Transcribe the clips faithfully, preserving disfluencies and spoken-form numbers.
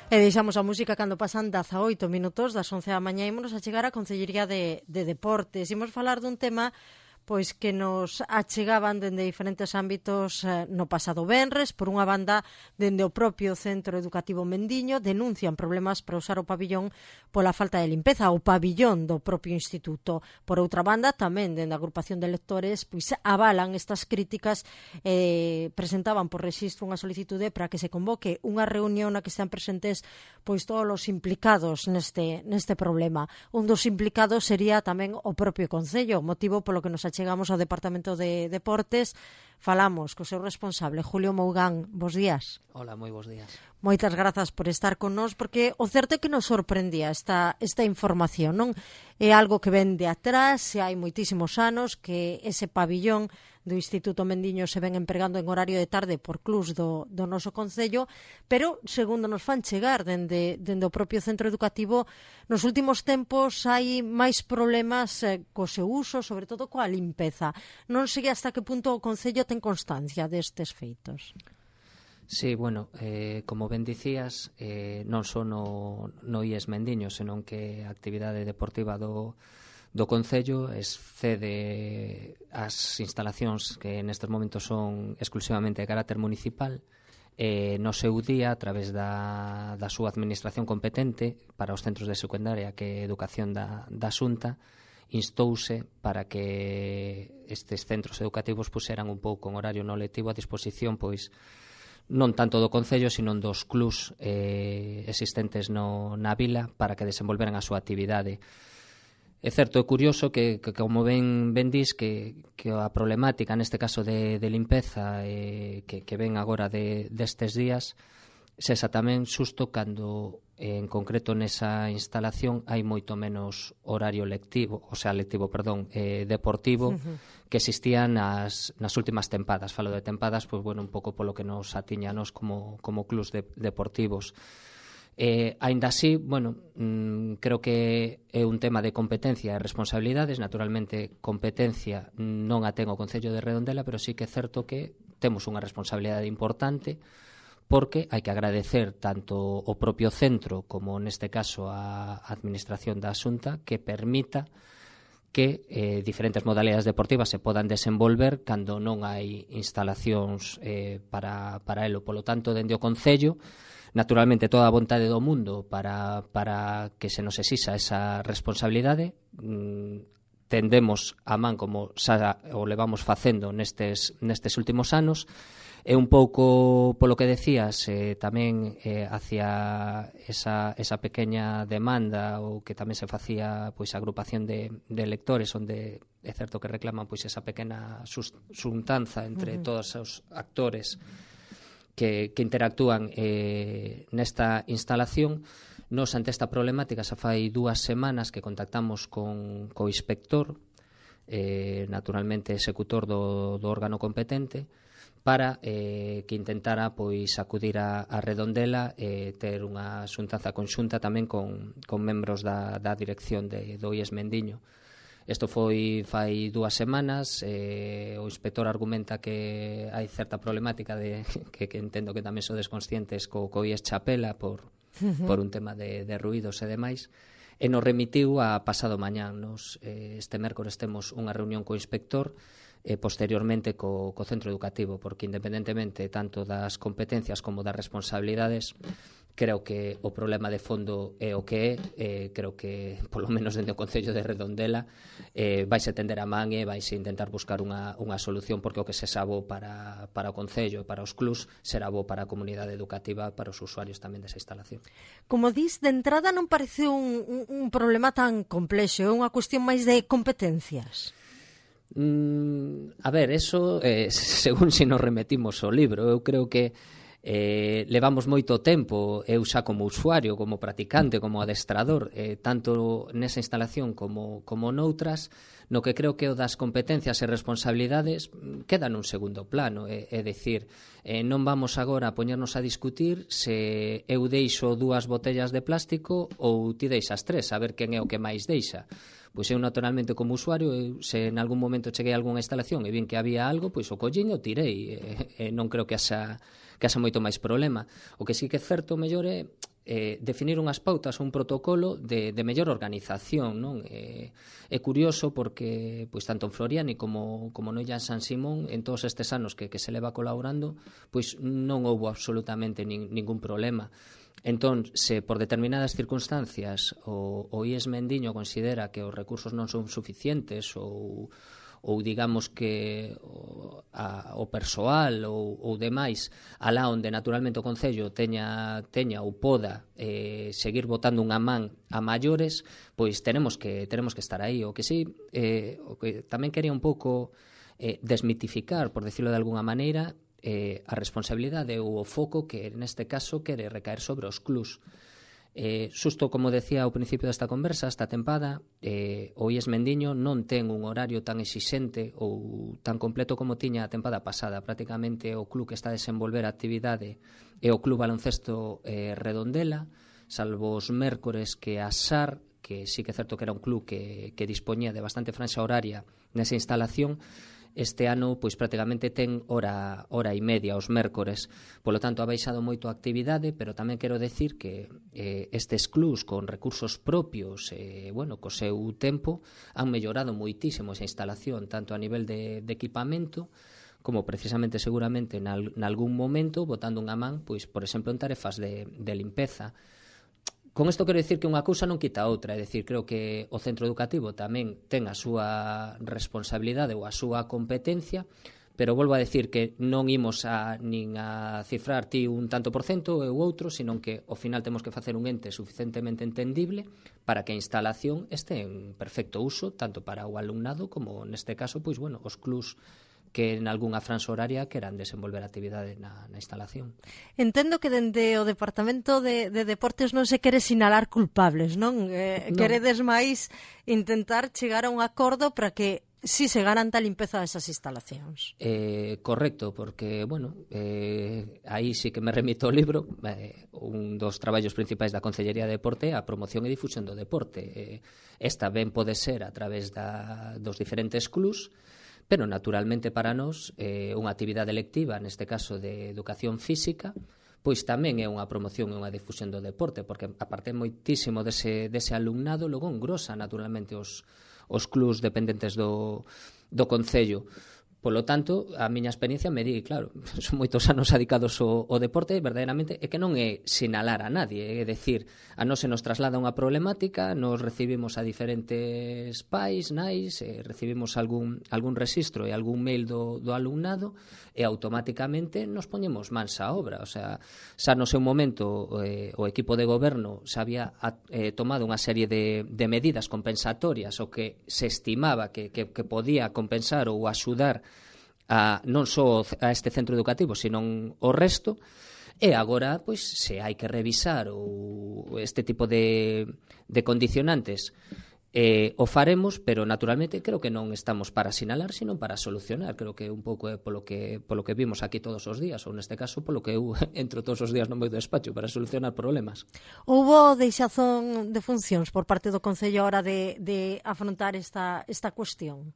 E deixamos a música cando pasan dezaoito minutos das once da mañá e ímonos a chegar á Concellería de, de Deportes. Imos falar dun tema pois que nos achegaban dende diferentes ámbitos eh, no pasado venres. Por unha banda, dende o propio Centro Educativo Mendiño denuncian problemas para usar o pabillón pola falta de limpeza, o pabillón do propio instituto. Por outra banda, tamén dende a agrupación de lectores pois avalan estas críticas e eh, presentaban por rexistro unha solicitude para que se convoque unha reunión na que están presentes pois todos os implicados neste, neste problema. Un dos implicados sería tamén o propio Concello, motivo polo que nos achegamos Chegamos ao Departamento de Deportes, falamos co seu responsable, Julio Mougán. Bos días. Hola, moi bos días. Moitas grazas por estar con nós, porque o certo é que nos sorprendía esta, esta información, non? É algo que ven de atrás, e hai moitísimos anos que ese pabillón do Instituto Mendiño se ven empregando en horario de tarde por clubs do, do noso Concello, pero, segundo nos fan chegar dende, dende o propio centro educativo, nos últimos tempos hai máis problemas eh, co seu uso, sobre todo coa limpeza. Non sei hasta que punto o Concello ten constancia destes feitos. Sí, bueno, eh, como ben dicías, eh, non só no, no I E S Mendiño, senón que a actividade deportiva do do Concello excede as instalacións que nestes momentos son exclusivamente de carácter municipal. Eh, no seu día, a través da, da súa administración competente para os centros de secundaria, que é Educación da, da Xunta, instouse para que estes centros educativos puseran un pouco en horario non lectivo a disposición, pois, non tanto do Concello, sino dos clubs eh, existentes no, na vila para que desenvolveran a súa actividade. É certo, é curioso que, que como ben, ben dis, que, que a problemática neste caso de, de limpeza eh, que, que ven agora de, destes días sexa tamén xusto cando en concreto nesa instalación hai moito menos horario lectivo, o sea, lectivo, perdón, eh, deportivo, uh-huh. que existían nas, nas últimas tempadas. Falo de tempadas, pois, bueno, un pouco polo que nos atiña a nos como, como clubs de, deportivos. Eh, aínda así, bueno, mm, creo que é un tema de competencia e responsabilidades. Naturalmente, competencia non a ten o Concello de Redondela, pero sí que é certo que temos unha responsabilidade importante, porque hai que agradecer tanto o propio centro como neste caso a administración da Xunta que permita que eh, diferentes modalidades deportivas se podan desenvolver cando non hai instalacións eh, para, para elo. Polo tanto, dende o Concello, naturalmente toda a vontade do mundo para, para que se nos exixa esa responsabilidade. Mm, tendemos a man como xa o levamos facendo nestes, nestes últimos anos. É un pouco polo que decías eh, tamén eh, hacia esa, esa pequeña demanda ou que tamén se facía pois a agrupación de, de lectores onde é certo que reclaman pois esa pequena xuntanza entre uh-huh. todos os actores que, que interactúan eh, nesta instalación. Nos ante esta problemática xa fai dúas semanas que contactamos con co inspector, eh, naturalmente executor do, do órgano competente, para eh, que intentara pois acudir a, a Redondela e eh, ter unha xuntanza conxunta tamén con, con membros da, da dirección de, do I E S Mendiño. Isto foi fai dúas semanas, eh, o inspector argumenta que hai certa problemática de, que, que entendo que tamén sodes conscientes co, co I E S Chapela por, uh-huh. por un tema de, de ruídos e demais, e nos remitiu a pasado mañán. Nos, eh, este mércores temos unha reunión co inspector e posteriormente co, co centro educativo, porque independentemente tanto das competencias como das responsabilidades, creo que o problema de fondo é o que é. Eh, creo que, polo menos dentro do Concello de Redondela, eh, vaise tender a man e vaise intentar buscar unha, unha solución, porque o que se xa bo para, para o Concello e para os clubs será bo para a comunidade educativa, para os usuarios tamén desa instalación. Como dis, de entrada non parece un, un, un problema tan complexo, é unha cuestión máis de competencias. Mm, a ver, eso eh, según se nos remetimos ao libro, eu creo que eh, levamos moito tempo, eu xa como usuario, como practicante, como adestrador, eh, tanto nesa instalación como, como noutras, no que creo que o das competencias e responsabilidades queda nun segundo plano, é, é dicir, eh, non vamos agora a poñernos a discutir se eu deixo dúas botellas de plástico ou ti deixas tres, a ver quen é o que máis deixa. Pois eu naturalmente como usuario, eu, se en algún momento cheguei a algunha instalación e vin que había algo, pois o collín e o tirei, e, e non creo que haxa, que haxa moito máis problema. O que sí que é certo mellor é eh, definir unhas pautas ou un protocolo de, de mellor organización, non? Eh, é curioso porque pois tanto en Floriani como, como no Illan San Simón, en todos estes anos que, que se leva colaborando, pois non houbo absolutamente nin, ningún problema. Entón, se por determinadas circunstancias o, o I E S Mendiño considera que os recursos non son suficientes ou, ou digamos que o, a, o persoal ou, ou demais alá onde naturalmente o Concello teña, teña ou poda eh, seguir botando unha man a maiores, pois tenemos que, tenemos que estar aí. O que sí, eh, o que tamén quería un pouco eh, desmitificar, por decirlo de alguna maneira, Eh, a responsabilidade ou o foco que neste caso quere recaer sobre os clubs. Eh, xusto como decía ao principio desta conversa, esta tempada eh, o I E S Mendiño non ten un horario tan exixente ou tan completo como tiña a tempada pasada. Prácticamente o club que está a desenvolver a actividade é o Club Baloncesto eh, Redondela, salvo os mércores que a S A R, que sí que é certo que era un club que, que dispoñía de bastante franxa horaria nesa instalación, este ano pois prácticamente ten hora, hora e media os mércores. Polo tanto, ha baixado moito a actividade, pero tamén quero decir que eh, estes clubs con recursos propios, eh, bueno, co seu tempo, han mellorado moitísimo esa instalación, tanto a nivel de, de equipamento, como precisamente seguramente nalgún momento, botando unha man, pois, por exemplo, en tarefas de, de limpeza. Con isto quero dicir que unha cousa non quita a outra, é dicir, creo que o centro educativo tamén ten a súa responsabilidade ou a súa competencia, pero volvo a decir que non imos a nin a cifrar ti un tanto por cento ou outro, sino que ao final temos que facer un ente suficientemente entendible para que a instalación este en perfecto uso, tanto para o alumnado como, neste caso, pois, bueno, os clubs que en algunha franxa horaria queran desenvolver actividade na, na instalación. Entendo que dende o Departamento de, de Deportes non se quere sinalar culpables, non? Eh, non. Queredes máis intentar chegar a un acordo para que si se garanta a limpeza desas instalacións. Eh, correcto, porque, bueno, eh, aí sí que me remito ao libro, eh, un dos traballos principais da Concellería de Deporte é a promoción e difusión do deporte. Eh, esta ben pode ser a través da, dos diferentes clubs, pero naturalmente para nós eh, unha actividade lectiva, neste caso de educación física, pois tamén é unha promoción e unha difusión do deporte, porque aparte moitísimo dese, dese alumnado, logo engrosa naturalmente os, os clubs dependentes do, do Concello. Polo tanto, a miña experiencia me di, claro, son moitos anos dedicados ao, ao deporte, verdadeiramente, é que non é sinalar a nadie, é decir, a nós se nos traslada unha problemática, nos recibimos a diferentes pais, nais, eh, recibimos algún, algún registro e algún mail do, do alumnado e automáticamente nos poñemos mans á obra. O sea, xa no seu momento eh, o equipo de goberno xa había eh, tomado unha serie de, de medidas compensatorias o que se estimaba que, que, que podía compensar ou axudar a, non só a este centro educativo, sino o resto, e agora, pois, se hai que revisar ou este tipo de, de condicionantes, eh, o faremos, pero naturalmente creo que non estamos para sinalar, sino para solucionar. Creo que un pouco é polo que, polo que vimos aquí todos os días, ou neste caso polo que eu entro todos os días no meu despacho para solucionar problemas. Houbo deixazón de funcións por parte do Concello a hora de, de afrontar esta, esta cuestión?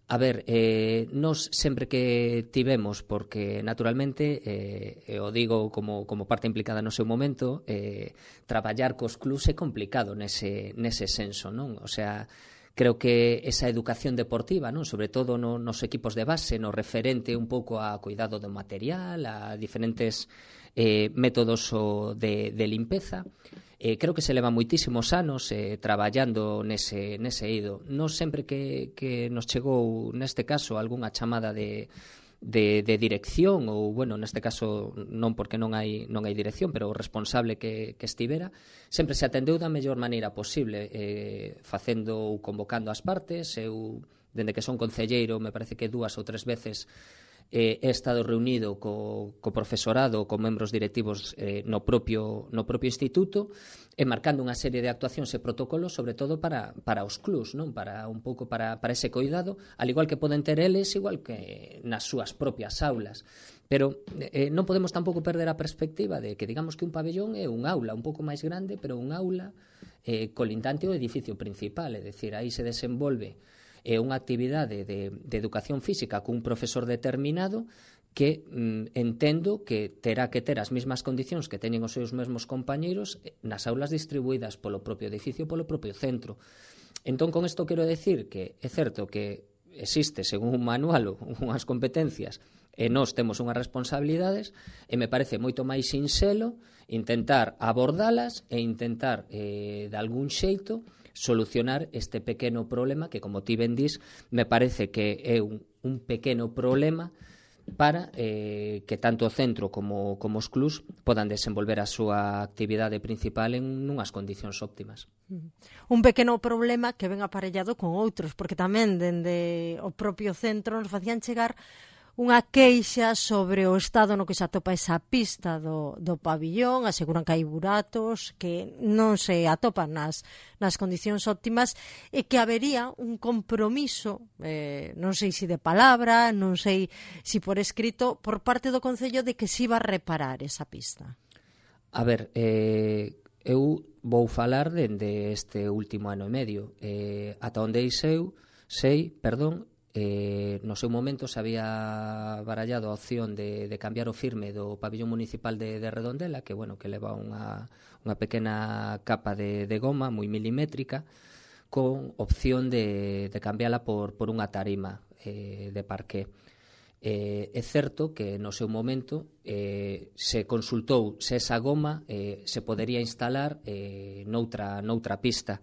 A ver, eh, nos sempre que tivemos, porque naturalmente, eh, eu digo como, como parte implicada no seu momento, eh, traballar cos clubs é complicado nese, nese senso, non? O sea, creo que esa educación deportiva, non? Sobre todo no, nos equipos de base, no referente un pouco a cuidado do material, a diferentes eh, métodos o de, de limpeza, Eh, creo que se leva moitísimos anos eh, traballando nese, nese eido. Non sempre que, que nos chegou, neste caso, algunha chamada de, de, de dirección, ou, bueno, neste caso non porque non hai, non hai dirección, pero o responsable que, que estivera, sempre se atendeu da mellor maneira posible, eh, facendo ou convocando as partes. Eu, dende que son concelleiro, me parece que dúas ou tres veces Eh, he estado reunido co, co profesorado, co membros directivos eh, no, propio, no propio instituto, e marcando unha serie de actuacións e protocolos, sobre todo para, para os clubs, non? Para un pouco para, para ese cuidado, al igual que poden ter eles, igual que nas súas propias aulas. Pero eh, non podemos tampouco perder a perspectiva de que digamos que un pabellón é un aula un pouco máis grande, pero un aula eh, colindante ao edificio principal, é dicir, aí se desenvolve é unha actividade de, de educación física cun profesor determinado que mm, entendo que terá que ter as mesmas condicións que teñen os seus mesmos compañeiros nas aulas distribuídas polo propio edificio, polo propio centro. Entón, con isto quero decir que é certo que existe, según un manual, unhas competencias e nós temos unhas responsabilidades, e me parece moito máis sinxelo intentar abordalas e intentar, eh, de algún xeito, solucionar este pequeno problema que, como ti ben dis, me parece que é un, un pequeno problema para eh, que tanto o centro como, como os clubs podan desenvolver a súa actividade principal en unhas condicións óptimas. Un pequeno problema que ven aparellado con outros, porque tamén dende o propio centro nos facían chegar unha queixa sobre o estado no que se atopa esa pista do, do pabillón, aseguran que hai buratos, que non se atopan nas, nas condicións óptimas e que habería un compromiso, eh, non sei se de palabra, non sei se por escrito, por parte do Concello de que se iba a reparar esa pista. A ver, eh, eu vou falar dende este último ano e medio. Eh, ata onde eu sei, perdón, Eh, no seu momento se había barallado a opción de, de cambiar o firme do pabillón municipal de, de Redondela, que bueno, que leva unha, unha pequena capa de, de goma moi milimétrica, con opción de, de cambiala por, por unha tarima eh, de parqué. Eh, é certo que no seu momento eh, se consultou se esa goma eh, se podería instalar eh, noutra, noutra pista.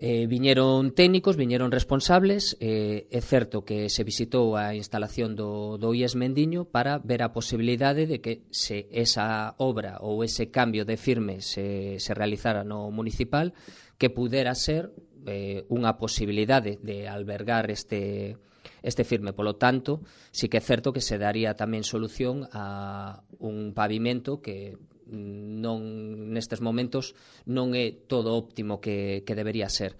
Eh, viñeron técnicos, viñeron responsables, eh, é certo que se visitou a instalación do, do I E S Mendiño para ver a posibilidade de que se esa obra ou ese cambio de firme se, se realizara no municipal, que pudera ser eh, unha posibilidade de albergar este, este firme. Polo tanto, sí que é certo que se daría tamén solución a un pavimento que non nestes momentos non é todo óptimo que, que debería ser.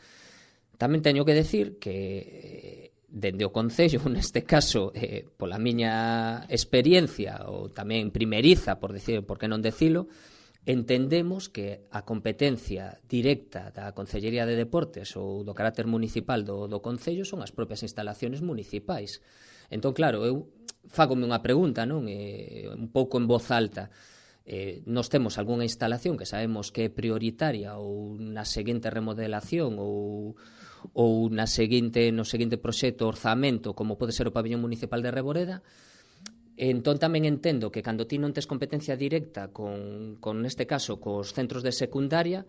Tamén teño que decir que dende o Concello, neste caso, eh, pola miña experiencia ou tamén primeriza, por decir, por que non decilo, entendemos que a competencia directa da Concellería de Deportes ou do carácter municipal do, do Concello son as propias instalaciones municipais. Entón, claro, eu fágome unha pregunta, non? Eh, un pouco en voz alta. Eh, nos temos algunha instalación que sabemos que é prioritaria ou na seguinte remodelación ou, ou na seguinte, no seguinte proxecto orzamento, como pode ser o pabillón municipal de Reboreda. Entón tamén entendo que cando ti non tes competencia directa con, con neste caso, cos centros de secundaria,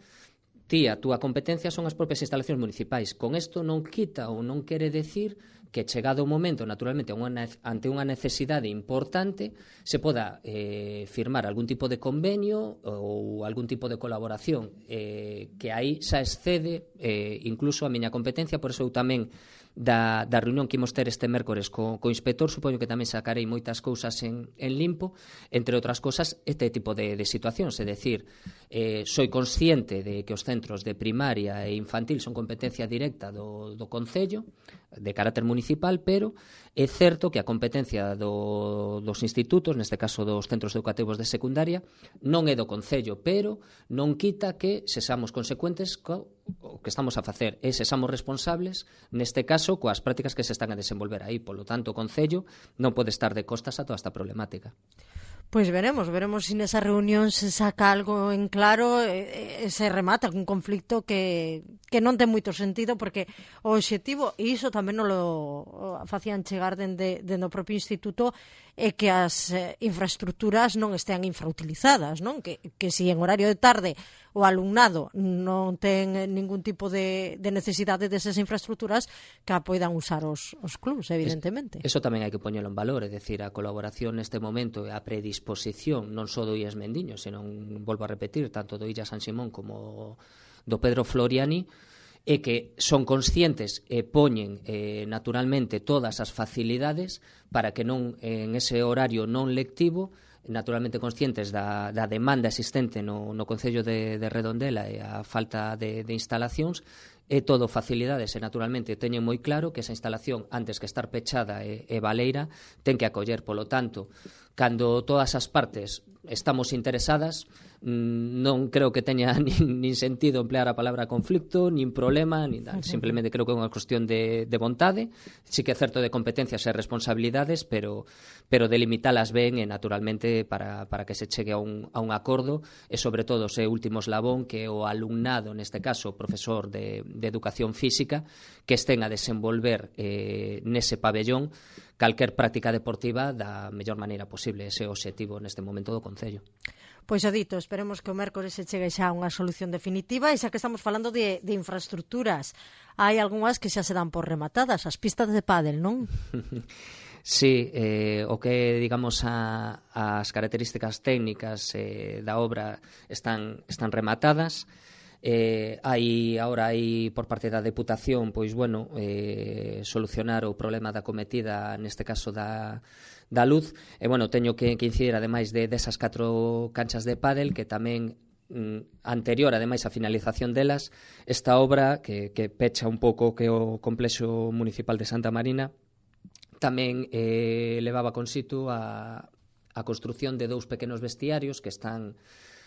ti a túa competencia son as propias instalacións municipais. Con isto non quita ou non quere decir que chegado o momento, naturalmente, ante unha necesidade importante, se poda eh, firmar algún tipo de convenio ou algún tipo de colaboración eh, que aí xa excede eh, incluso a miña competencia. Por eso eu tamén da, da reunión que imos ter este mércores co, co inspector, supoño que tamén sacarei moitas cousas en, en limpo, entre outras cousas este tipo de, de situacións, é dicir, eh, soy consciente de que os centros de primaria e infantil son competencia directa do, do Concello, de carácter municipal, pero é certo que a competencia do, dos institutos, neste caso dos centros educativos de secundaria, non é do Concello, pero non quita que sexamos consecuentes co o que estamos a facer, e sexamos responsables, neste caso, coas prácticas que se están a desenvolver aí. Polo tanto, o Concello non pode estar de costas a toda esta problemática. Pois veremos, veremos se nesa reunión se saca algo en claro e, e se remata un conflicto que, que non ten moito sentido, porque o obxectivo, e iso tamén non lo facían chegar dende, dende o propio instituto, é que as eh, infraestructuras non estean infrautilizadas, non? Que, que si en horario de tarde o alumnado non ten ningún tipo de, de necesidade desas infraestructuras, que a poidan usar os, os clubs, evidentemente. Es, eso tamén hai que poñelo en valor, é dicir, a colaboración neste momento e a predisposición non só do I E S Mendiño, senón, volvo a repetir, tanto do Illa San Simón como do Pedro Floriani, e que son conscientes e poñen eh, naturalmente todas as facilidades para que non en ese horario non lectivo, naturalmente conscientes da, da demanda existente no, no Concello de, de Redondela e a falta de, de instalacións, e todo facilidades, e naturalmente teñen moi claro que esa instalación, antes que estar pechada e, e baleira, ten que acoller. Polo tanto, cando todas as partes estamos interesadas, non creo que teña nin, nin sentido emplear a palabra conflicto, nin problema, nin tal. Simplemente creo que é unha cuestión de, de vontade, sí que é certo de competencias e responsabilidades, pero, pero delimitalas ben e naturalmente para, para que se chegue a un, a un acordo e sobre todo ese último eslabón que é o alumnado, neste caso o profesor de, de educación física, que estén a desenvolver eh, nese pabellón calquer práctica deportiva da mellor maneira posible. Ese é o obxectivo neste momento do Concello. Pois o dito, esperemos que o mércores se chegue xa a unha solución definitiva e xa que estamos falando de, de infraestructuras, hai algunhas que xa se dan por rematadas, as pistas de pádel, non? Sí, eh, o que, digamos, a, as características técnicas eh, da obra están, están rematadas. Eh, hai, agora hai por parte da Deputación, pois, bueno, eh, solucionar o problema da cometida, neste caso da, da luz, e, bueno, teño que, que incidir, ademais de desas catro canchas de pádel, que tamén mm, anterior, ademais, a finalización delas, esta obra, que, que pecha un pouco que o complexo municipal de Santa Marina, tamén eh, levaba consigo a, a construción de dous pequenos vestiarios que están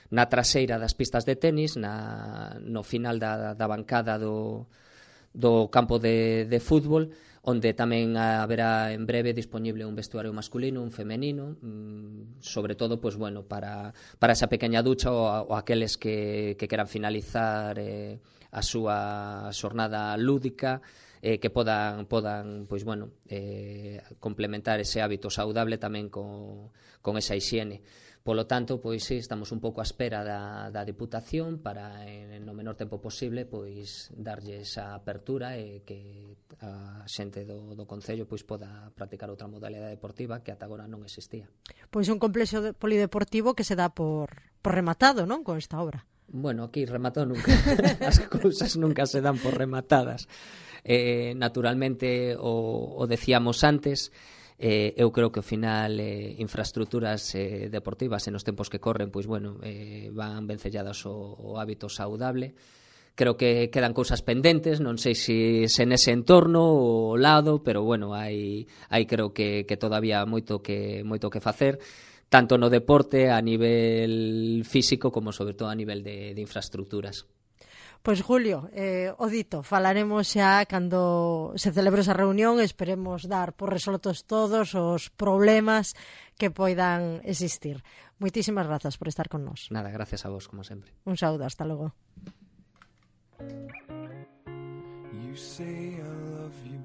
na traseira das pistas de tenis, na, no final da, da bancada do, do campo de, de fútbol, onde tamén haberá en breve disponible un vestuario masculino, un femenino, mmm, sobre todo, pues, bueno, para, para esa pequeña ducha ou, ou aqueles que, que queran finalizar eh, a súa xornada lúdica, eh, que podan, podan pois, bueno, eh, complementar ese hábito saudable tamén con, con esa hixiene. Polo tanto, pois sí, estamos un pouco á espera da, da Deputación para, en, no menor tempo posible, pois darlle esa apertura e que a xente do, do Concello pois poda practicar outra modalidade deportiva que ata agora non existía. Pois un complexo de, polideportivo que se dá por, por rematado, non, con esta obra. Bueno, aquí rematado nunca. As cousas nunca se dan por rematadas. Eh, naturalmente, o, o decíamos antes, Eh, eu creo que ao final eh, infraestructuras eh, deportivas en os tempos que corren, pois bueno, eh, van vencelladas o, o hábito saudable. Creo que quedan cousas pendentes, non sei se, se nese entorno ou ao lado, pero bueno, hai, hai creo que, que todavía moito que, moito que facer, tanto no deporte a nivel físico como sobre todo a nivel de, de infraestructuras. Pois, Julio, eh, o dito, falaremos xa cando se celebre esa reunión, esperemos dar por resoltos todos os problemas que poidan existir. Moitísimas grazas por estar con nós. Nada, gracias a vos, como sempre. Un saúdo, hasta logo. You say I love you.